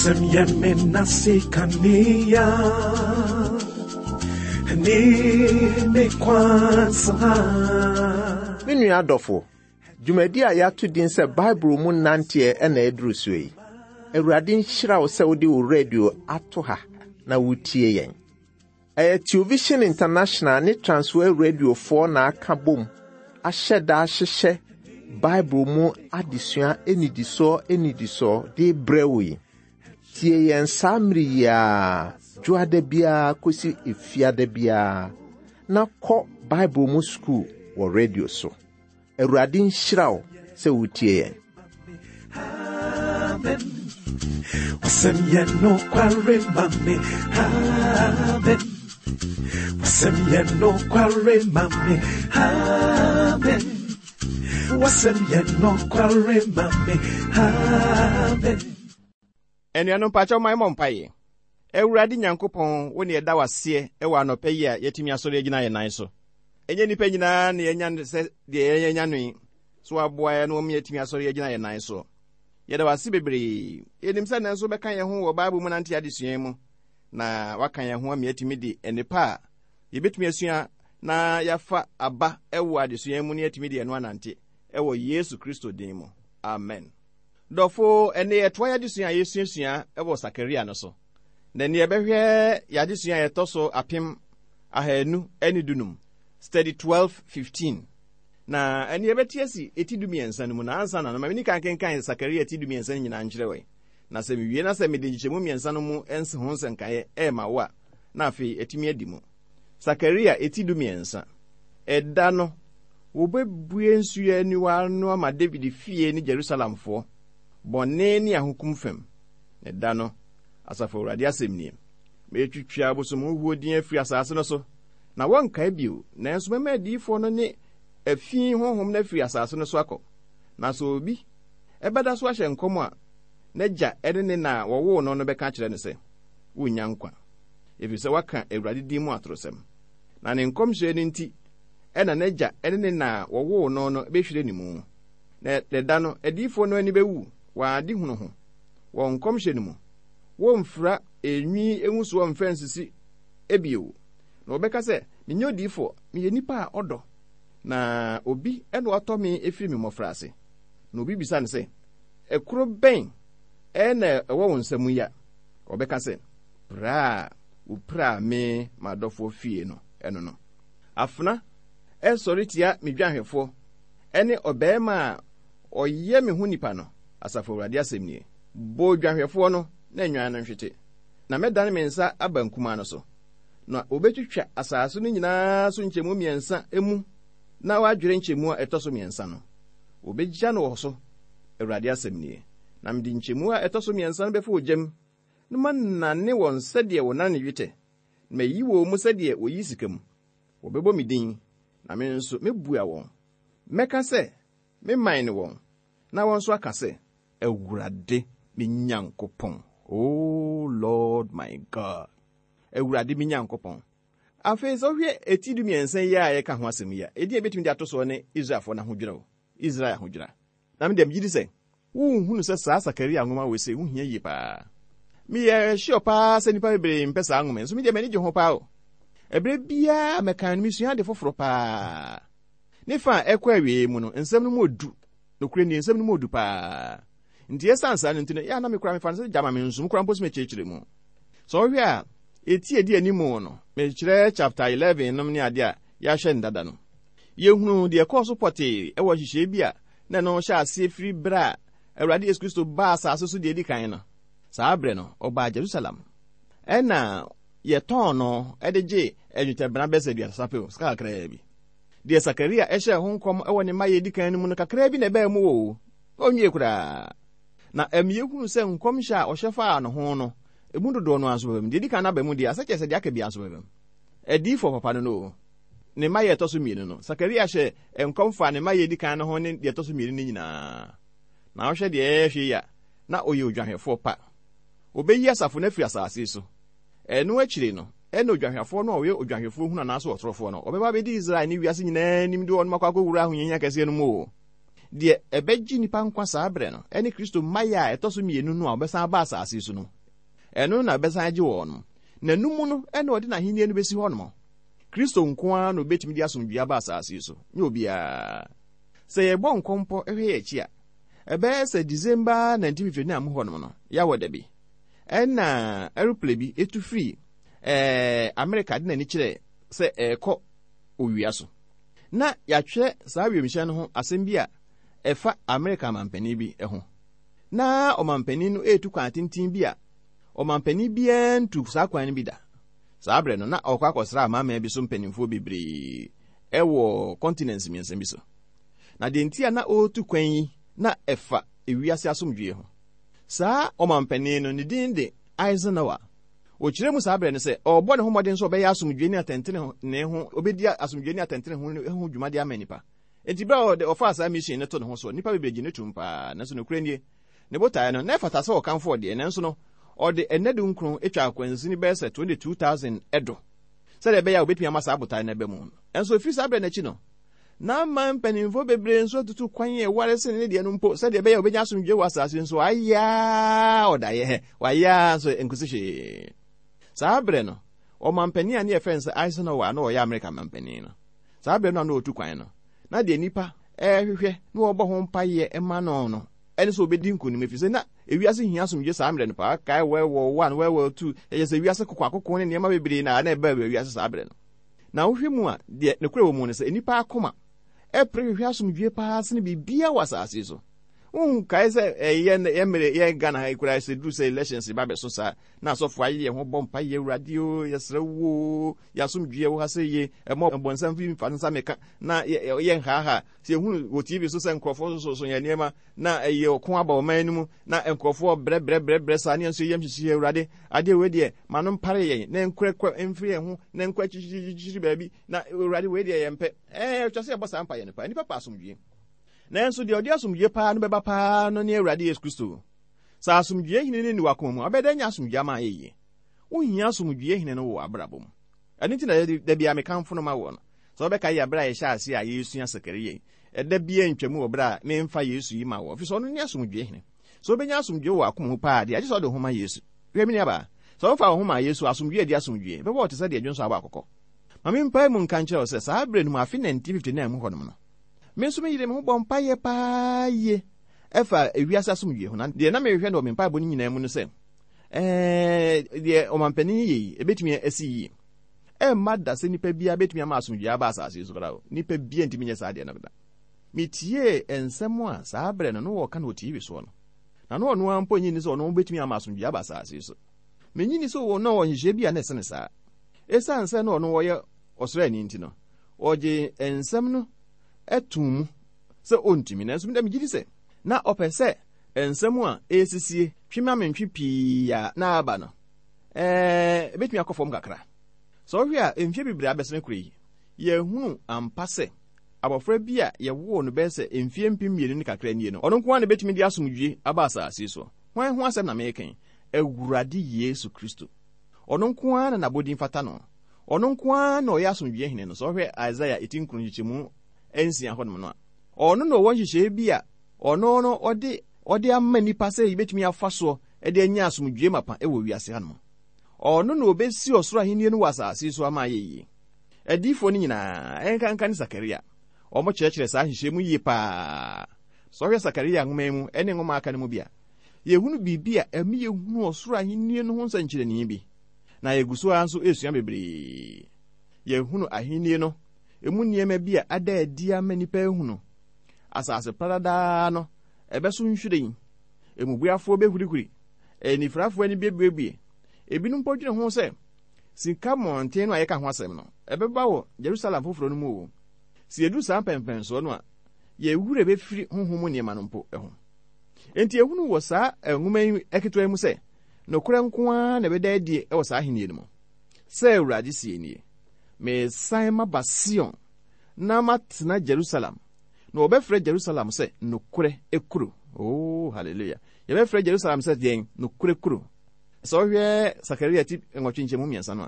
Wasɛm yɛ me nase kanea ne me kwan so ha. Me nua adɔfo, dwumadi a yɛato din sɛ Bible mu nanteɛ na ɛduru so yi. Awurade nhyira wo sɛ wode wo radio ato ha na wotie yɛn. Ɛyɛ Television International ne Transworld Radiofoɔ na aka bom ahyɛ da ahyehyɛ Bible mu adesua nnidisoɔ nnidisoɔ de brɛ wo yi. Tie yɛn saa mmere yi ara, dwoada biara kɔsi efiada biara, na kɔ Bible mu sukuu wɔ radio so. Awurade nhyira wo sɛ wotie yɛn. Amen. Wasɛm yɛ nokware ma me. Amen. Wasɛm yɛ nokware ma me. Amen. Wasɛm yɛ nokware ma me. Amen. Anuanom mpakyɛw ma yɛmmɔ mpaeɛ. Awurade Nyankopɔn, wo ne yɛda wo aseɛ wɔ anɔpa yi a yɛatumi asɔre agyina yɛn nan so. Ɛnyɛ nnipa nyinaa na yɛanya no sɛ deɛ yɛanya no yi, so waboa yɛn na wɔn yɛatumi asɔre agyina yɛn nan so. Yɛda wo ase bebree. Yɛnim sɛ nnɛ nso wobɛka yɛn ho wɔ Bible mu nante adesua yi mu, na waka yɛn ho ama yɛatumi de nnepa a yɛbɛtumi asua na yɛafa aba wɔ adesua yi mu na yɛatumi de ɛno anante wɔ Yesu Kristo din mu. Amen. Dɔfo, ɛnne yɛtoa yɛn adesua a yɛsuasua wɔ Sakaria no so. Na ɛnne yɛbɛhwɛ yɛn adesua a ɛtɔ so 2015, Study 1215. Na ɛnne yɛbɛte asi eti dumiɛnsa no mu, na ansa na no, ma menni kan kenkan Sakaria ti dumiɛnsa no nyinaa nkyerɛ wɔ. Na sɛ mewie na sɛ mede nkyekyɛmu mmiɛnsa no mu ho nsɛnkaeɛ ɛrema wo a, na afei atumi adi mu. Sakaria eti dumiɛnsa. Ɛda no, Wobebue nsu aniwa ano ama Dawid fie ne Jerusalemfoɔ, bɔne ne ahokum fam. Na da no, Asafo Awurade asɛm nie, metwitwa abosomhuhuo din afiri asase no so, na wɔnkae bio, nanso mɛma adiyifoɔ no ne afi honhom no afiri asase no so akɔ. Na sɛ obi bɛda so ahyɛ nkɔm a, n'agya ne ne na a wɔwoo no no bɛka akyerɛ no sɛ, Wonnya nkwa, ɛfiri sɛ woaka Awurade din mu atorosɛm. Na ne nkɔmhyɛ no nti, ɛna n'agya ne ne na a wɔwoo no no bɛhwire ne mu. Na ɛda no, adiyifoɔ no ani bɛwu wɔn adehunu ho, wɔn nkɔmhyɛ no mu. Wɔremfira enwi ngusoɔ mfa nsisi bio. Na wɔbɛka sɛ, Menyɛ odiyifoɔ, meyɛ nipa a ɔdɔ, na obi na watɔ me firi me mmɔfraase. Na obi bisa no sɛ, Ɛkuro bɛn na ɛwɔ wo nsa mu yi a? Ɔbɛka sɛ, Pira a wɔpiraa me m'adɔfoɔ fie no, ɛno no. Afena sɔre tia me dwanhwɛfoɔ ne ɔbarima a ɔyɛ me ho nipa no, Asafo Awurade asɛm nie. Bɔ odwanhwɛfoɔ no na nnwan no nhwete, na mɛdane me nsa aba nkumaa no so. Na wɔbɛtwitwa asase no nyinaa so nkyɛmu mmiɛnsa mu na wɔadwere nkyɛmu a ɛtɔ so mmiɛnsa no. Wɔbɛgya no wɔ so, Awurade asɛm nie. Na mede nkyɛmu a ɛtɔ so mmiɛnsa no bɛfa ogya mu, na manane wɔn sɛdeɛ wɔnane dwetɛ. Mayi wɔn mu sɛdeɛ wɔyi sika mu. Wɔbɛbɔ me din, na me nso mɛbua wɔn. Mɛka sɛ, 'Me man ne wɔn, na wɔn nso aka sɛ, 'Awurade me Nyankopɔn. O Lord my God, Awurade me Nyankopɔn. Afei sɛ wohwɛ eti dumiɛnsa yi a yɛka ho asɛm yi a, edin a ebetumi de ato soɔ ne Israelfoɔ no ahodwira o, Israel ahodwira. Na me deɛ megye di sɛ wonhunu sɛ saa Sakaria nwoma wei sei ho hia yie paa. Meyɛ sure paa sɛ nnipa bebree mpɛ saa nwoma yi, nso me deɛ m'ani gye ho paa o. Ɛberɛ biara mɛkan no mesua ade foforɔ paa. Ne fa a ɛkɔ awieeɛ mu no, nsɛm no mu odu. Nokorɛ nie, nsɛm no mu odu paa. Nti ɛsiane saa no nti no, yɛ a na me koraa mefa no sɛ gyama mensom koraa mpo sɛ mekyerɛkyerɛ mu. Sɛ wohwɛ a, eti a ɛdi anim no, mekyerɛ chapter 11 nom ne adeɛ a yɛahwɛ no dada no. Yɛhunuu deɛ ɛkɔɔ so pɔtee wɔ nhyehyɛeɛ bi a na ɛno hyɛ aseɛ firi berɛ a Awurade Yesu Kristo baa asase so deɛ ɛdi kan no. Saa berɛ no, ɔbaa Jerusalem. Ɛna yɛtɔn no de gye nnwetɛbena bɛsɛ aduasa pɛ, sika kakraa bi. Deɛ Sakaria hyɛɛ ho nkɔm wɔ ne mmaeɛ ɛdi kan no mu no kakraa bi na ɛbaa mu o, ɔnwie koraa. Na ɛma yɛhunu sɛ nkɔmhyɛ a ɔhyɛ faa ne ho no, ɛmu dodoɔ no ara nso bɛba mu. Deɛ ɛdi kan no aba mu deɛ, asɛ kyerɛ sɛ deɛ aka biara nso bɛba mu. Adiyifoɔ papa no no o. Ne mma yɛ ɛtɔ so mmienu no, Sakaria hyɛɛ nkɔm faa ne mma yɛ edi kan no ho ne deɛ ɛtɔ so mmienu no nyinaa. Na wohwɛ deɛ yɛrehwɛ yi a, na ɔyɛ odwanhwɛfoɔ pa. Wɔbɛyi asafo no afiri asase yi so. Ɛno akyiri no, ɛna odwanhwɛfoɔ no a ɔyɛ odwanhwɛfoɔ hunu anaasɛ ɔtorofoɔ no, ɔbɛba abɛdi Israel ne wiase nyinaa anim de wɔn akɔ akɔwura ahohiahia kɛseɛ no mu o. Deɛ ɛbɛgye nnipa nkwa saa berɛ no ne Kristo mmaeɛ a ɛtɔ so mmienu no a ɔbɛsan aba asase so no. Ɛno na ɛbɛsan agye wɔn. Na ɛno mu no na ɔde n'ahennie no bɛsi hɔnom. Kristo nko ara na ɔbɛtumi de asomdwoeɛ aba asase so, nyɛ obiara. Sɛ yɛbɔ nkɔmpɔ hwɛ yɛn akyi a, ɛbɛyɛ sɛ December 1959 mu hɔnom no, yɛawɔ da bi, ɛna aeroplane bi tu firi ɛɛ Amerika de n'ani kyerɛ sɛ ɛrekɔ owia so. Na yɛatwerɛ saa wiemhyɛn no ho asɛm bi a ɛfa Amerika ɔmampanin bi ho. Na ɔmampanin no retu kwan tenten bi a ɔmampanin biara ntu saa kwan no bi da. Saa berɛ no, na ɔrekɔ akɔsra amanaman bi so mpanimfoɔ bebree wɔ kɔntinɛnse mmiɛnsa bi so. Na deɛ nti a na ɔretu kwan yi na ɛfa ewiase asomdwoeɛ ho. Saa ɔmampanin no, ne din de Eisenhower. Ɔkyerɛ mu saa berɛ no sɛ ɔrebɔ ne ho mmɔden sɛ ɔbɛyɛ asomdwoeɛ ne atɛntenenee ho, ɔbɛdi asomdwoeɛ ne atɛntenenee ho dwuma de ama nnipa. Enti berɛ a ɔde ɔfaa saa mission no to ne ho so, nnipa bebree gye no tom paa. Nanso nokorɛ nie, ne botaeɛ no, na ɛfata sɛ ɔkamfo ɔdeɛ, nanso no, ɔde nna dunkron twaa akwansini bɛyɛ sɛ 22,000 do sɛdeɛ ɛbɛyɛ a ɔbɛtumi ama saa botaeɛ no aba mu. Nanso ɛfiri saa berɛ no akyi no, na ama mpanimfoɔ bebree nso atutu kwan a ɛware sene ne deɛ no mpo sɛdeɛ ɛbɛyɛ a wɔbɛnya asomdwoeɛ wɔ asase nso ayɛ ara ɔdaeɛ wayɛ ara nso nkosi hwee. Saa berɛ no, ɔmampanin a ne yɛfrɛ no sɛ Eisenhower a na ɔyɛ Amerika mampanin no, saa berɛ no a na ɔretu kwan no, na deɛ nnipa rehwehwɛ na wɔbɔ ho mpaeɛ ma no no ɛne sɛ ɔbɛdi nkonim, ɛfiri sɛ na ewiase hia asomdwoeɛ saa mmerɛ no paa. Kae World War One, World War Two, ɛyɛ sɛ wiase kokoakoko ne nneɛma bebree na na ɛbaa wiase saa berɛ no. Na wohwɛ mu a, deɛ nokorɛ wɔ mu ne sɛ nnipa akoma pere hwehwɛ asomdwoeɛ paa sene biribiara wɔ asase yi so. Wonkae sɛ ɛyɛ yɛ mmerɛ yɛ Ghana ha yi koraa sɛ duru sɛ elections ba bɛso saa na asɔfo ayɛ yɛn ho bɔ mpa yɛ Awurade o yɛsrɛ wo yɛ asomdwoeɛ wɔ ha sɛ ye ɛmɔ bɔnsam fi mfa nsa meka na yɛ nhaaha sɛ yɛhunu wɔ TV so sɛ nkurɔfoɔ sososo yɛn nneɛma na ɛyɛ ɔko aba ɔman no mu na nkurɔfoɔ brɛbrɛbrɛbrɛ saa ne nso yɛm hyehye Awurade adeɛ wei deɛ ma no mpare yɛn na nkorɛkorɛ mfiri yɛn ho na nkɔ akyirikyirikyiri baabi na Awurade wei deɛ yɛmpɛ. Ɛɛ ɛtwa sɛ yɛbɔ saa mpaeɛ no paa. Nnipa pɛ asomdwie. Nanso deɛ ɔde asomdwie paa no bɛba paa no ne Awurade Yesu Kristo. Sɛ asomdwie hene no nni w'akoma mu a, wobɛyɛ dɛn anya asomdwie ama ayɛ yie? Wohia asomdwie hene no wɔ w'abrabɔ mu. Ɛno nti na da biara mekamfo no ma woɔ no. Sɛ wobɛkae yɛ berɛ a yɛhyɛɛ aseɛ a yɛresua Sakaria yi, ɛda biara ntwa mu wɔ berɛ a memfa Yesu yi ma woɔ, ɛfiri sɛ ɔno ne asomdwie hene. Sɛ wobɛnya asomdwie wɔ w'akoma mu paa deɛ, agye sɛ wode wo ho ma Yesu. Hwɛ, me nuabaa, sɛ wofaa wo ho maa Yesu a, asomdwie a ɛdi asomdwie bɛbɔ wo te sɛ deɛ dwonsɔ abɔ akokɔ. Ma mempae mu nka nkyerɛ wo sɛ saa berɛ no mu, afe 1959 mu hɔnom no, me nso meyeree me ho bɔɔ mpaeɛ paa yie ɛfa ewiase asomdwie ho. Na deɛ na mehwehwɛ no wɔ me mpaebɔ no nyinaa mu no sɛ, ɛɛ, deɛ ɔmampanin yɛ yi, ɛbɛtumi asi yie. Ɛmma da sɛ nipa biara bɛtumi ama asomdwie aba asase so koraa o. Nipa biara ntumi nyɛ saa deɛ no da. Metiee nsɛm a saa berɛ no na wɔka no wɔ TV soɔ no. Na na ɔno ara mpo nnye nni sɛ ɔno bɛtumi ama asomdwie aba asase so. Mennye nni sɛ na ɔwɔ nhyehyɛe bi a na ɛsene saa. Esiane sɛ na ɔno ɔyɛ ɔsraani nti no, ɔgyee nsɛm no too mu sɛ ontumi. Nanso me de migye di sɛ na ɔpɛ sɛ nsɛm a ɛresisie twe-ma-mentwe pii a na aba no, ebetumi akɔ fam kakra. Sɛ wohwɛ a, mfe bebree a abɛsen kɔ yi, yɛahunu ampa sɛ abofra bi a yɛwoo no bɛyɛ sɛ mfe 2000 ne kakra nie no, ɔno nko ara na ebetumi de asomdwoe aba asase so. Hwan ho asɛm na mereka yi? Awurade Yesu Kristo. Ɔno nko ara na n'abodin fata no. Ɔno nko ara na ɔyɛ asomdwoe hene no. Sɛ wohwɛ Isaiah eti nkron nkyekyɛmu nsia hɔnom no a, ɔno na ɔwɔ nhyehyɛe bi a ɔno no ɔde ɔde ama nnipa sɛ yebetumi afa soɔ de anya asomdwoe mapa wɔ wiase hanom. Ɔno na obesi ɔsoro ahenni no wɔ asase so ama ayɛ yie. Adiyifoɔ no nyinaa, ɛnkanka ne Sakaria, wɔkyerɛkyerɛ saa nhyehyɛe mu yie paa. Sɛ wohwɛ Sakaria nwoma yi mu ne nwoma a aka no mu bi a, yɛhunu biribi a ɛma yɛhunu ɔsoro ahenni no ho nsɛnkyerɛnne bi, na yɛgu so ara nso resua bebree. Yɛhunu ahenni no emu nneɛma bi a ada adi ama nnipa ahunu. Asase pradadaa no, ɛbɛso nhwiren, mmubuafoɔ bɛhurihuri, anifirafoɔ ani bɛbuebue. Ebinom mpo dwene ho sɛ sika mmɔnten no a yɛka ho asɛm no, ɛbɛba wɔ Jerusalem foforɔ no mu o. Sɛ yɛduru saa mpɛnpɛnsoɔ no a, yɛn werɛ bɛfiri honhom mu nneɛma no mpo ho. Enti yɛhunu wɔ saa nwoma yi ketewa yi mu sɛ, nokorɛ nko ara na ɛbɛda adie wɔ saa ahennie no mu. Sɛ Awurade seɛ nie, Meresan maba Sion na matena Jerusalem, na wɔbɛfrɛ Jerusalem sɛ nokorɛ kuro. Oh, hallelujah. Yɛbɛfrɛ Jerusalem sɛ deɛn? Nokorɛ kuro. Sɛ wohwɛ Sakaria ti nwɔtwe nkyɛmu mmiɛnsa no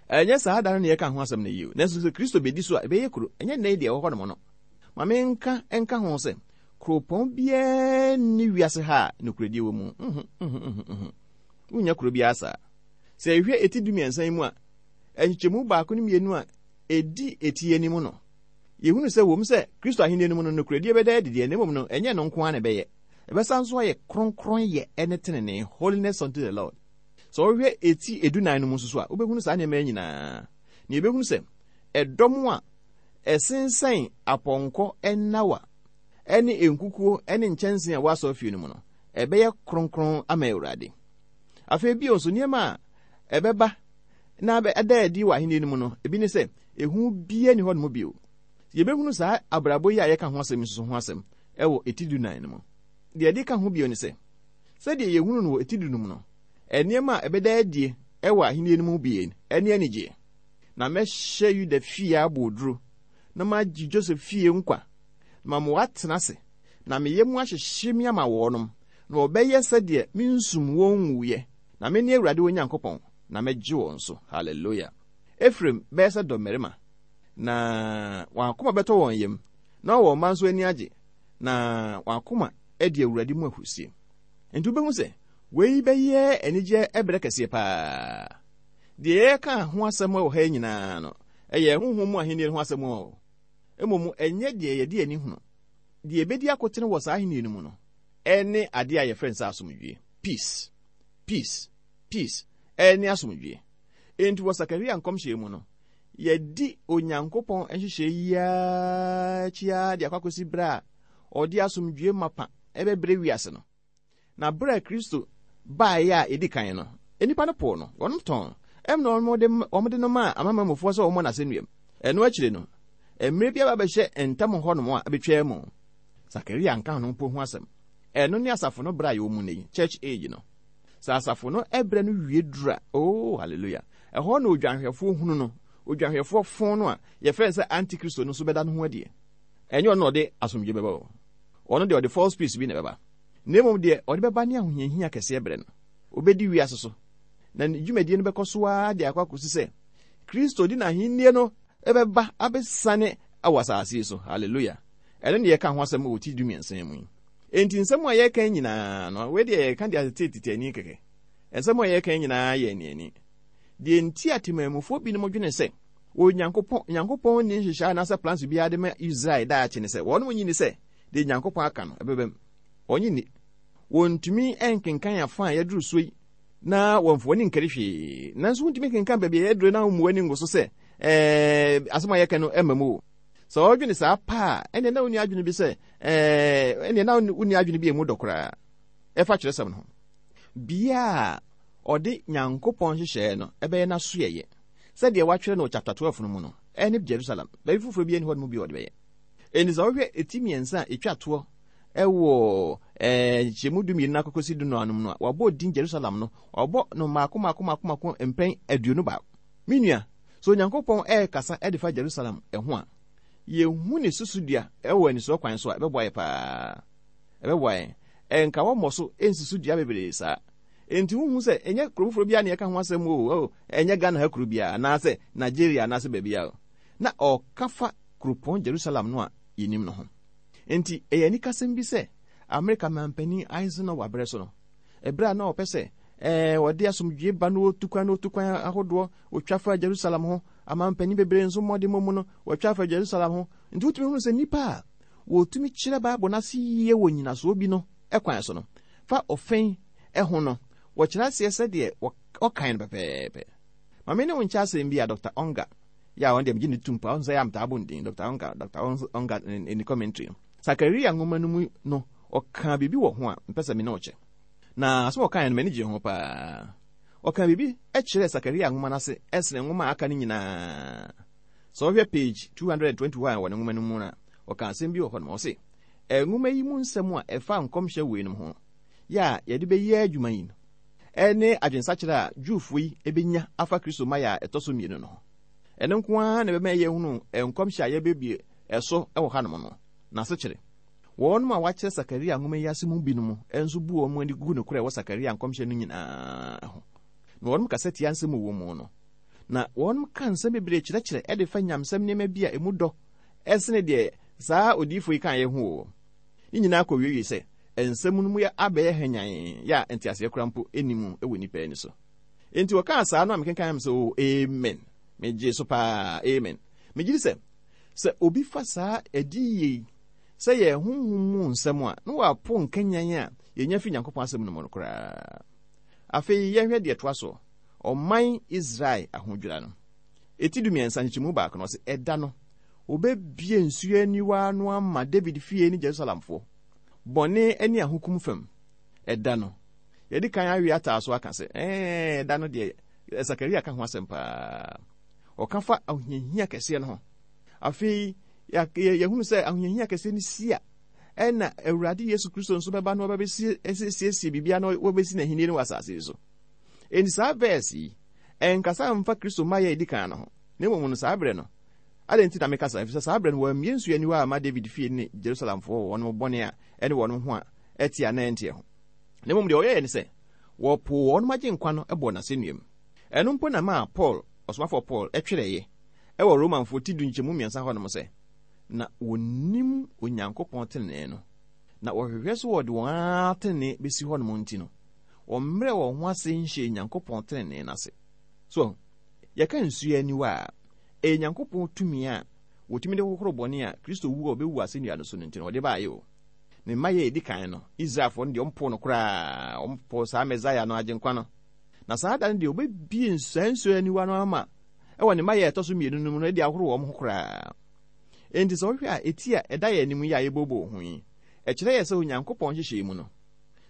a, ɛnyɛ saa da no na yɛka ho asɛm no yie. Nanso sɛ Kristo bɛdi so a, ɛbɛyɛ kuro. Ɛnyɛ nnɛ yi deɛ ɛwɔ hɔnom no. Ma menka nka ho sɛ, Kuropɔn biara nni wiase ha a nokorɛdie wɔ mu. Nhu, nhu, nhu, nhu. Wonnya kuro biara saa. Sɛ yɛhwɛ eti dumiɛnsa yi mu a, nkyekyɛmu baako ne mmienu a ɛdi eti yi anim no, yɛhunu sɛ wom sɛ Kristo ahennie no mu no nokorɛdie bɛda adi deɛ, na mmom no ɛnyɛ ɛno nko ara na ɛbɛyɛ. Ɛbɛsan nso ayɛ kronkronyɛ ne tenenee, holiness unto the Lord. Sɛ wohwɛ eti edunan no mu nso so a, wobɛhunu saa nneɛma yi nyinaa. Na yɛbɛhunu sɛ ɛdɔm a ɛsensɛn apɔnkɔ nnawa ne nkukuo ne nkyɛnsee a ɛwɔ asɔrefie no mu no, ɛbɛyɛ kronkron ama Awurade. Afei bio nso, nneɛma a ɛbɛba na ada adi wɔ ahenni no mu no, ebi ne sɛ, ehu biara nni hɔnom bio. Yɛbɛhunu saa abrabɔ yi a yɛka ho asɛm yi nso ho asɛm wɔ eti dunan no mu. Deɛ ɛde ka ho bio ne sɛ, sɛdeɛ yɛhunu no wɔ eti du no mu no, nneɛma a ɛbɛda adie wɔ ahenni no mu bi ne anigyeɛ. Na mɛhyɛ Yuda fie aboɔduro, na magye Joseph fie nkwa, na mama wɔatena ase, na me yam ahyehye me ama wɔnom, na wɔbɛyɛ sɛdeɛ mensum wɔn nwuiɛ, na mene Awurade wɔn Nyankopɔn, na mɛgye wɔn so. Hallelujah! Efraim bɛyɛ sɛ dɔmmarima, na wɔn akoma bɛtɔ wɔn yam, na wɔn mma nso ani agye, na wɔn akoma adi Awurade mu ahurusie. Enti wobɛhu sɛ wei bɛyɛ anigyeɛ berɛ kɛseɛ paa. Deɛ yɛreka ho asɛm wɔ ha yi nyinaa no, ɛyɛ honhom mu ahennie no ho asɛm o. Mmom ɛnyɛ deɛ yɛde ani hunu. Deɛ ɛbɛdi akotene wɔ saa ahennie no mu no, ɛne adeɛ a yɛfrɛ no sɛ asomdwoeɛ. Peace, peace, peace, ɛne asomdwoeɛ. Enti wɔ Sakaria nkɔmhyɛ mu no, yɛadi Onyankopɔn nhyehyɛe yi ara akyi ara de akɔ akɔsi berɛ a ɔde asomdwoeɛ mapa ɛbɛbrɛ wiase no. Na berɛ a Kristo baeɛ a ɛdi kan no, nnipa no poo no, wɔnom tɔn no, ɛmna wɔde no maa amanamanmufoɔ sɛ wɔmmɔ no asɛnnuam. Ɛno akyire no, mmerɛ bi aba bɛhyɛ ntam hɔnom a ɛbɛtwaa mu. Sakaria anka ho mpo ho asɛm. Ɛno ne asafo no berɛ a yɛwɔ mu nnɛ yi, church age no. Sɛ asafo no berɛ no wie duru a, oh, hallelujah, ɛhɔ na odwanhwɛfoɔ hunu no, odwanhwɛfoɔ fon no a yɛfrɛ no sɛ antikristo no nso bɛda ne ho adie. Ɛnyɛ ɔno na ɔde asomdwoeɛ bɛba o. Ɔno deɛ ɔde false peace bi na ɛbɛba. Na mmom deɛ ɔde bɛba ne ahohiahia kɛseɛ berɛ no. Ɔbɛdi wiase so, na ne dwumadie no bɛkɔ so ara de akɔ akɔsi sɛ Kristo de n'ahennie no bɛba abɛsiane wɔ asase yi so. Hallelujah! Ɛno ne yɛka ho asɛm wɔ ti dumiɛnsa yi mu yi. Enti nsɛm a yɛreka yi nyinaa no, wei deɛ yɛreka de atete tete ani kɛkɛ. Nsɛm a yɛreka yi nyinaa yɛ aniani. Deɛ nti a temanmufoɔ binom dwene sɛ Onyankopɔn Nyankopɔn nni nhyehyɛe anaasɛ plans biara de ma Israel daakye ne sɛ wɔnom nyi ni sɛ deɛ Nyankopɔn aka no ɛbɛbam. Wɔnye nni. Wɔntumi nkenkan afa a yɛaduru so yi na wɔmfa wɔn ani nkari hwee. Nanso wontumi nkenkan baabi a yɛaduru na wommu w'ani ngu so sɛ ɛɛ asɛm a yɛka no ɛmma mu o. Sɛ wɔdwene saa paa a, ɛnneɛ na wonni adwene bi sɛ ɛɛ ɛnneɛ na wonni adwene bi a emu dɔ koraa ɛfa kyerɛsɛm no ho. Bia a ɔde Nyankopɔn nhyehyɛɛ no ɛbɛyɛ n'asoɛeɛ sɛdeɛ wɔatwerɛ no wɔ chapter 12 no mu no ɛne Jerusalem. Baabi foforɔ bi ani hɔ no mu bi a ɔde bɛyɛ. Enti sɛ wohwɛ eti mmiɛnsa a ɛtwa toɔ ɛwɔ ɛɛ nkyɛmu dumienu no akɔkɔsi du no anom no a, wɔabɔ din Jerusalem no, wɔabɔ no mmaako mmaako mmaako mmaako mpɛn 21. Me nua, sɛ Onyankopɔn ɛrekasa de fa Jerusalem ho a, yɛhu ne susudua wɔ anisoɔ kwan so a, ɛbɛboa yɛ paa. Ɛbɛboa yɛn. Ɛnka wɔmmɔ so nsi so dua bebree saa. Enti wohu sɛ ɛnyɛ kuro foforɔ biara na yɛka ho asɛm o, oh, ɛnyɛ Ghana ha kuro biara, anaasɛ Nigeria anaasɛ baabiara o. Na ɔka fa kuropɔn Jerusalem no a yɛnim no ho. Enti ɛyɛ anikasɛm bi sɛ Amerika manpanin Eisenhower berɛ so no, ɛberɛ a na ɔpɛ sɛ ɛɛ wɔde asomdwie ba no ɔtu kwan na ɔtu kwan ahodoɔ, ɔtwa fa Jerusalem ho, amanpanin bebree nso mmɔdemmɔ mu no, wɔtwa fa Jerusalem ho. Nti wotumi hunu sɛ nnipa a wɔtumi kyerɛ Bible no ase yie wɔ nyinasoɔ bi no kwan so no, fa ɔfɛn ho no, wɔkyerɛ aseɛ sɛdeɛ wɔkan no pɛpɛɛpɛ. Ma me ne wo nkyɛ asɛm bi a Dr. Unger yɛ a ɔno deɛ megye ne tom paa, ɔno sɛ yɛ a metaa bɔ ne din, Dr. Unger, Dr. Unger ne commentary no. Sakaria nwoma no mu no, ɔkaa biribi wɔ ho a mpɛ sɛ me ne wo kyɛ. Na asɛm a ɔkaeɛ no, m'ani gyee ho paa. Ɔkaa biribi kyerɛɛ Sakaria nwoma no ase sene nwoma a aka no nyinaa. Sɛ wohwɛ page 221 wɔ ne nwoma no mu no a, ɔkaa asɛm bi wɔ hɔ nom. Ɔse, nwoma yi mu nsɛm a ɛfa nkɔmhyɛ weinom ho yɛ a yɛde bɛyɛ adwuma yi no, ne adwensakyera a Jewfoɔ yi bɛnya afa Kristo mmaeɛ a ɛtɔ so mmienu no ho. Ɛno nko ara na ɛbɛma yɛahunu nkɔmhyɛ a yɛbɛbue ɛso wɔ hanom no n'asekyerɛ. Wɔnom a wɔakyerɛ Sakaria nwoma yi ase mu binom nso bu wɔn ani gu nokorɛ a ɛwɔ Sakaria nkɔmhyɛ no nyinaa ho, na wɔnom kasa tia nsɛm a ɛwɔ mu no, na wɔnom ka nsɛm bebree kyerɛkyerɛ de fa nyamsɛm nneɛma bi a ɛmu dɔ sene deɛ saa odiyifoɔ yi kaeɛ ho o. Ne nyinaa kɔwiewie sɛ nsɛm no mu yɛ abɛyɛ hwanyann yɛ a nteaseɛ koraa mpo nni mu wɔ nnipa ani so. Enti wɔkaa saa no a mekenkan me sɛ, oh, amen. Megyee so paa, amen. Megye di sɛ, sɛ obi fa saa adiyie yi sɛ yɛ honhom mu nsɛm a, na wapo nkanyan a yɛnya fi Nyankopɔn asɛm no mu no koraa. Afei yɛnhwɛ deɛ ɛtoa soɔ, ɔman Israel ahodwira no. Eti 13 nkyekyɛmu baako no, ɔse, ɛda no, wɔbɛbue nsuo aniwa ano ama David fie ne Jerusalemfoɔ, bɔne ne ahokum fam. Ɛda no, yɛde kan awe ataa so aka sɛ, ɛɛ, ɛda no deɛ, Sakaria ka ho asɛm paa. Ɔka fa ahohiahia kɛseɛ no ho. Afei, yɛhunu sɛ ahohiahia kɛseɛ no si a, ɛna Awurade Yesu Kristo nso bɛba na wɔbɛsiesie biribiara na wɔbɛsi n'ahenni no wɔ asase yi so. Enti saa verse yi, ɛnkasa mfa Kristo mmaeɛ a ɛdi kan no ho, na mmom no saa berɛ no, adɛn nti na meka saa? Efisɛ saa berɛ no wɔammue nsuo aniwa amma David fie ne Jerusalemfoɔ wɔ wɔn bɔne a ɛne wɔn ho a ɛteɛ anaa ɛnteɛ ho. Na mmom deɛ wɔyɛeɛ ne sɛ, wɔpoo wɔn Agyenkwa no bɔɔ no asɛnnua mu. Ɛno mpo na ɛmaa Paul, ɔsomafoɔ Paul, twerɛeɛ wɔ Romanfoɔ ti du nkyɛmu mmiɛnsa hɔnom sɛ, Na wɔnnim Onyankopɔn tenenee no, na wɔhwehwɛ sɛ wɔde wɔn ara tenenee bɛsi hɔnom nti no, wɔmmrɛɛ wɔn ho ase nhyɛɛ Nyankopɔn tenenee no ase. So ahu? Yɛka nsuo aniwa a, ɛyɛ Nyankopɔn tumi a wɔtumi de hohoro bɔne a Kristo wu a ɔbɛwuu asɛnnua no so no nti no ɔde baeɛ o. Ne mmaeɛ a ɛdi kan no, Israelfoɔ no deɛ wɔmpoo no koraa, wɔpoo saa Mesaia no, Agyenkwa no. Na saa da no deɛ wɔbɛbue saa nsuo aniwa no ama wɔ ne mmaeɛ a ɛtɔ so mmienu no mu no de ahoro wɔn ho koraa. Enti sɛ wohwɛ a, eti a ɛda yɛn anim yi a yɛbooboo ho yi, ɛkyerɛ yɛn sɛ Onyankopɔn nhyehyɛe mu no,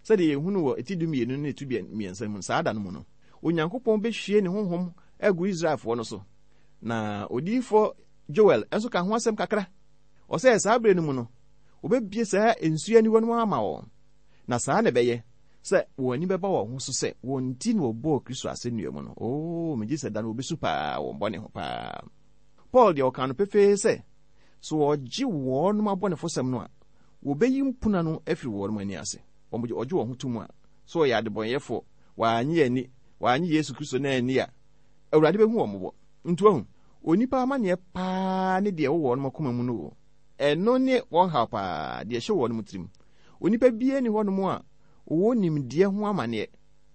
sɛdeɛ yɛhunu wɔ eti dumienu ne eti mmiɛnsa mu no, saa da no mu no, Onyankopɔn bɛhwie ne honhom agu Israelfoɔ no so. Na odiyifoɔ Joel nso ka ho asɛm kakra. Ɔsɛ saa berɛ no mu no, wɔbɛbue saa nsuo aniwa no ama wɔn. Na saa na ɛbɛyɛ sɛ wɔn ani bɛba wɔn ho so sɛ wɔn nti na wɔbɔɔ Kristo asɛnnua mu no. Oo, megye sɛ da no wɔbɛsu paa wɔn bɔne ho paa. Paul deɛ ɔkaa no pefee sɛ, sɛ wɔgye wɔnom abɔnefosɛm no a, wɔbɛyi mpuna no afiri wɔnom ani ase. Wɔgye wɔn ho to mu a, sɛ wɔyɛ adebɔnyɛfoɔ, wɔannye anni, wɔannye Yesu Kristo no anni a, Awurade bɛhu wɔn mmɔbɔ. Nti wahu, onipa amanneɛ paa ne deɛ ɛwɔ wɔnom akoma mu no o. Ɛno ne wɔn haw paa, deɛ ɛhyɛ wɔnom tirim. Onipa biara nni hɔnom a ɔwɔ nimdeɛ ho amanneɛ.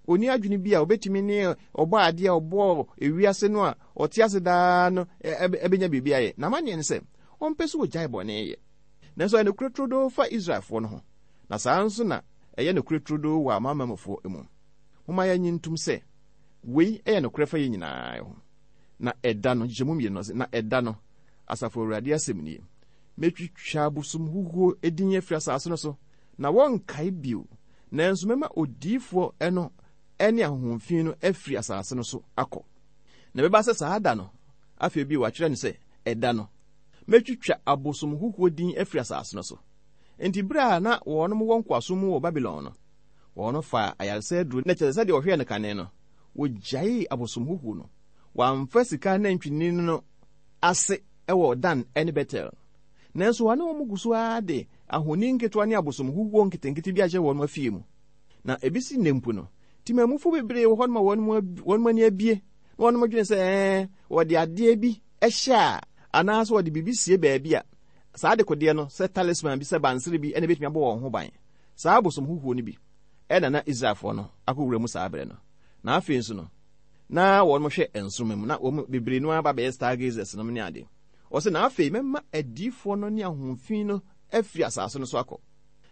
Ɔnni adwene bi a ɔbɛtumi ne Ɔbɔadeɛ a ɔbɔɔ ewiase no a ɔte ase daa no bɛnya biribi ayɛ. N'amanneɛ ne sɛ, ɔmpɛ sɛ ɔgyae bɔne yɛ. Nanso ɛyɛ nokorɛ turodoo fa Israelfoɔ no ho, na saa ara nso na ɛyɛ nokorɛ turodoo wɔ amanamanmufoɔ mu. Momma yɛnnye ntom sɛ wei yɛ nokorɛ fa yɛn nyinaa ho. Na ɛda no, nkyekyɛmu mmienu no, ɔse, Na ɛda no, Asafo Awurade asɛm nie, mɛtwitwa abosomhuhuo din afiri asase no so, na wɔrenkae bio, nanso mɛma odiyifoɔ no ne ahonhom fi no afiri asase no so akɔ. Na ɛbɛba sɛ saa da no, afei bio wɔatwerɛ no sɛ, ɛda no, mɛtwitwa abosomhuhuo din afiri asase no so. Enti berɛ a na wɔnom wɔ nkoasom mu wɔ Babilon no, wɔn faa ayaresa aduro, na kyerɛ sɛ sɛdeɛ wɔhwɛɛ no kane no, wɔgyaee abosomhuhuo no. Wɔamfa sika anantwinini no ase wɔ Dan ne Betel. Nanso wɔne wɔn gu so ara de ahoni nketewa ne abosom huhuo nketenkete bi ahyɛ wɔn afie mu. Na ebesi nnɛ mpo no, temamufo bebree wɔ hɔnom a wɔn ani abue na wɔn dwene sɛ ɛɛ wɔde adeɛ bi hyɛ a anaasɛ wɔde biribi sie baabi a saa adekodeɛ no sɛ talisman bi sɛ bansere bi na ebetumi abɔ wɔn ho ban. Saa abosom huhuo no bi na na Israelfoɔ no akɔwura mu saa berɛ no. Na afei nso no, na wɔn hwɛ nsoromma mu na wɔn bebree no ara ba bɛyɛ stargazers nom ne ade. Ɔse, Na afei mɛma adiyifoɔ no ne ahonhom fi no afiri asase no so akɔ.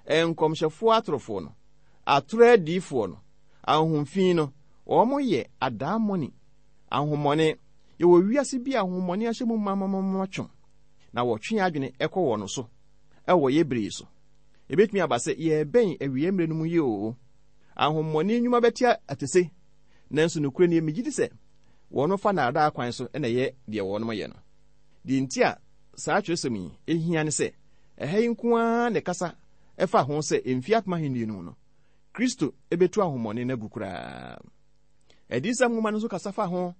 Nkɔmhyɛfoɔ atorofoɔ no, atorɔ adiyifoɔ no, ahonhom fi no, wɔn yɛ adaemone, ahonhommɔne. Yɛwɔ wiase bi a ahonhommɔne ahyɛ mu mamamama twom, na wɔtwe yɛn adwene kɔ wɔn so wɔ yɛn bere yi so. Ebetumi aba sɛ yɛrebɛn awiei mmere no mu yi oo. Ahonhommɔne nnwuma bɛte atese, nanso nokorɛ nie, megye di sɛ wɔn fa nnaadaa kwan so na ɛyɛ deɛ wɔn yɛ no. Deɛ nti a saa twerɛsɛm yi hia ne sɛ, ɛha yi nko ara na ɛkasa fa ho sɛ mfeɛ apem ahennie no mu no, Kristo bɛtu ahonhommɔne no agu koraa. Adiyisɛm nwoma no nso kasa fa ho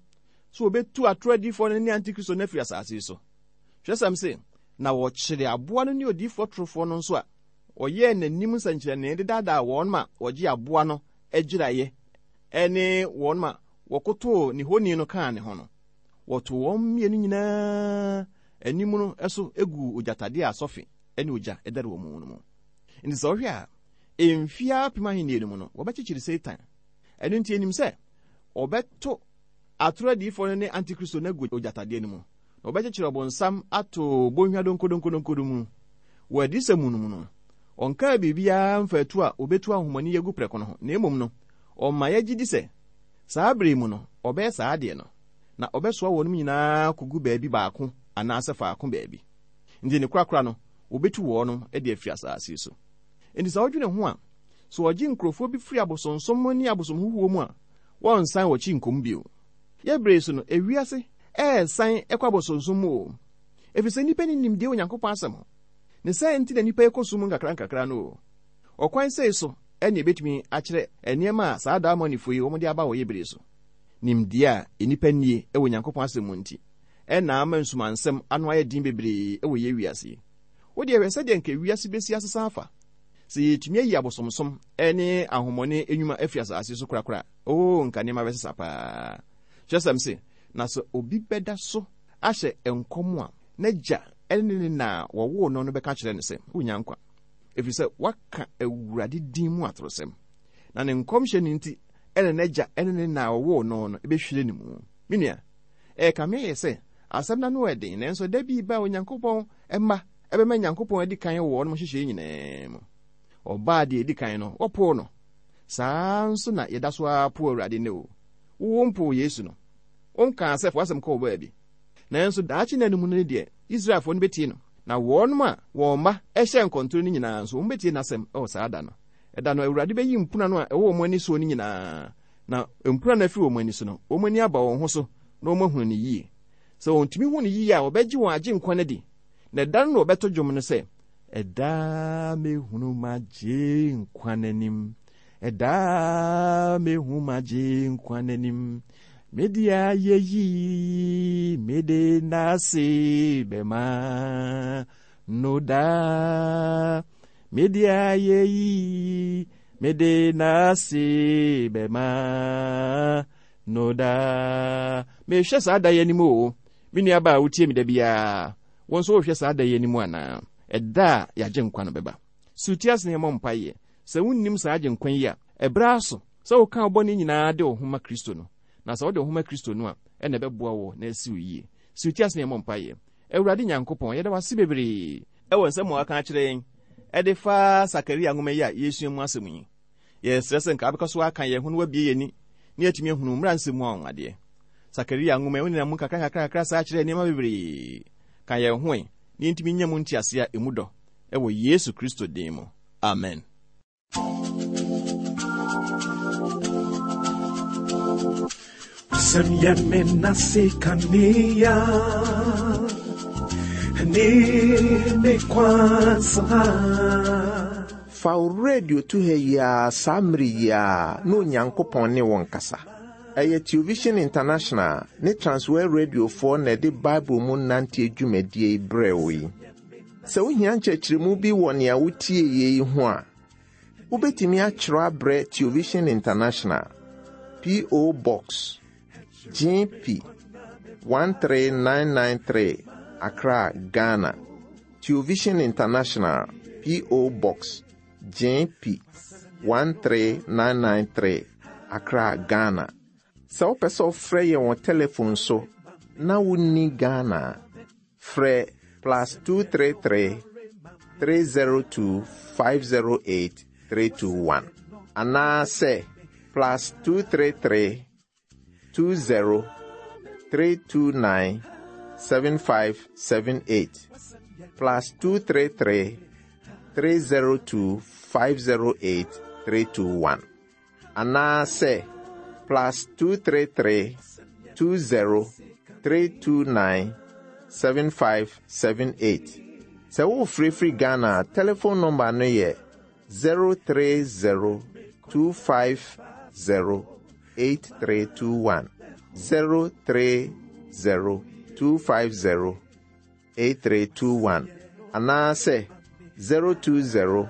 sɛ wɔbɛtu atorɔ adiyifoɔ no ne antikristo no afiri asase yi so. Twerɛsɛm se, Na wɔkyeree aboa no ne odiyifoɔ torofoɔ no nso a wɔyɛɛ n'anim nsɛnkyerɛnee de daadaa wɔn ma wɔgyee aboa no agyiraeɛ ne wɔn ma wɔkotoo ne honi no kaa ne ho no, wɔtoo wɔn mmienu nyinaa anim no so guu ogyatadeɛ a sɔfe ne ogya dɛre wɔ mu no mu. Enti sɛ wohwɛ a, mfeɛ apem ahennie no mu no, wɔbɛkyekyere Satan. Ɛno nti yɛnim sɛ wɔbɛto atoro adiyifoɔ no ne antikristo no agu ogyatadeɛ no mu, na wɔbɛkyekyere ɔbonsam ato bɔnhwa donkodonkodonko no mu. Wɔ adiyisɛm mu no mu no, ɔnkaa biribiara mfa atu a wɔbɛtu ahonhommɔne yi agu prɛko no ho, na mmom no, ɔma yɛgye di sɛ saa bere yi mu no, ɔbɛyɛ saa adeɛ no, na ɔbɛsoa wɔnom nyinaa akɔgu baabi baako anaasɛ faako baabi. Nti ne korakora no, wɔbɛtu wɔnom de afiri asase so. Enti sɛ wodwene ho a, sɛ wɔgye nkurɔfoɔ bi firi abosonsom ne abosomhuhuo mu a, wɔrensan wɔn akyi nkɔ mu bio. Yɛn bere yi so no, ewiase resan kɔ abosonsom mu oo, ɛfiri sɛ nnipa nni nimdeɛ wɔ Onyankopɔn asɛm ho. Ne saa nti na nnipa rekɔ sum mu nkakrankakra no oo. Ɔkwan sei so na yɛbɛtumi akyerɛ nneɛma a saa adaemonifoɔ yi wɔde aba wɔ yɛn bere yi so. Nimdeɛ a nnipa nnie wɔ Onyankopɔn asɛm mu nti na ama nsumansɛm ano ayɛ den bebree wɔ yɛn wiase yi. Wo deɛ hwɛ sɛdeɛ anka wiase bɛsi asesa afa sɛ yɛtumi ayi abosomsom ne ahonhommɔne nnwuma afiri asase so korakora a. Oo, nka nneɛma bɛsesa paa. Kyerɛsɛm se, na sɛ obi bɛda so ahyɛ nkɔm a, n'agya ne ne na a wɔwoo no no bɛka akyerɛ no sɛ, Wonnya nkwa, ɛfiri sɛ woaka Awurade din mu atorosɛm. Na ne nkɔmhyɛ no nti na n'agya ne ne na a wɔwoo no no bɛhwire ne mu. Me nua, ɛrekame ayɛ sɛ asɛm no ano yɛ den, nanso da bi reba a Onyankopɔn mma bɛma Nyankopɔn adi kan wɔ wɔn nhyehyɛe nyinaa mu. Ɔbaa deɛ edi kan no, wɔpoo no. Saa ara nso na yɛda so ara po Awurade nnɛ o. Wo wompoo Yesu no. Wonkaa sɛ fa w'asɛm kɔ wo baabi. Nanso daakye nna no mu no deɛ, Israelfoɔ no bɛtie no, na wɔnom a wɔn mma hyɛɛ nkɔntoro no nyinaa nso, wɔbɛtie n'asɛm wɔ saa da no. Ɛda no, Awurade bɛyi mpuna no a ɛwɔ wɔn ani soɔ no nyinaa, na mpuna no afiri wɔn ani so no, wɔn ani aba wɔn ho so na wɔahunu no yie. Sɛ wɔtumi hu no yie a, wɔbɛgye wɔn Agyenkwa no adi, na ɛda no na wɔbɛto dwom no sɛ, Ɛda mehunu m'Agyenkwa n'anim, ɛda mehu m'Agyenkwa n'anim, mede ayɛyi mede n'ase bɛma no daa, mede ayɛyi mede n'ase bɛma no daa. Mehwɛ saa da yi anim o, me nuabaa a wotie me da biara. Wo nso worehwɛ saa da yi anim anaa? Ɛda a yɛn Agyenkwa no bɛba. So ti ase na yɛmmɔ mpaeɛ. Sɛ wonnim saa Agyenkwa yi a, ɛberɛ aso sɛ woka wo bɔne nyinaa de wo ho ma Kristo no. Na sɛ wode wo ho ma Kristo no a, ɛna ɛbɛboa wo na asi wo yie. So ti ase na yɛmmɔ mpaeɛ. Awurade Nyankopɔn, yɛda wo ase bebree. Wɔ nsɛm a woaka akyerɛ yɛn de fa Sakaria nwoma yi a yɛresua mu asɛm yi. Yɛsrɛ sɛ nka wobɛkɔ so aka yɛn ho na woabue yɛn ani na yɛatumi ahunu wo mmara nsɛm mu anwanwadeɛ. Sakaria nwoma yi, wonenam mu nkakrankakra saa kyerɛɛ nneɛma bebree. Ka yɛn ho ɛ na yɛntumi nnya mu nteaseɛ a emu dɔ wɔ Yesu Kristo din mu. Amen. Sɛm yɛ me nase kanea ne me kwansa. Fa wo radio to ha yi ara saa mmere yi ara na Onyankopɔn ne wo nkasa. Ɛyɛ Television International ne Transworld Radiofoɔ na ɛde Bible mu nanteɛ dwumadie yi brɛɛ wo yi. Sɛ wohia nkyerɛkyerɛmu bi wɔ nea wotie yi ho a, wobɛtumi akyerɛ abrɛ Television International, P.O. Box, GP 13993, Accra, Ghana. Television International, P.O. Box, GP 13993, Accra, Ghana. Sɛ wopɛ sɛ wofrɛ yɛn wɔ telefon so na wonni Ghana a, frɛ plus 233 302 508 321 anaasɛ plus 233 20 329 7578 plus 233 302 508 321 anaasɛ plus 233 20 329 7578. Sɛ worefrɛfiri Ghana a, telephone number no yɛ 030 250 8321. 030 250 8321 anaasɛ 020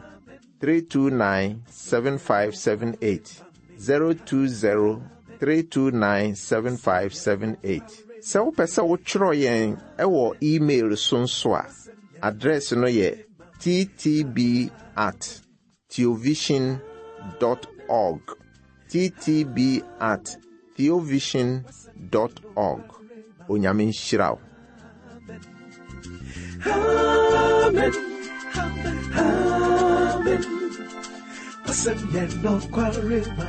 329 7578. 020 329 7578. Sɛ wopɛ sɛ wotwerɛ yɛn wɔ email so nso a, address no yɛ Ttb at theovision dot org. Ttb at theovision dot org. Onyame nhyira wo. Amen. Amen. Wasɛm yɛ nokware ma.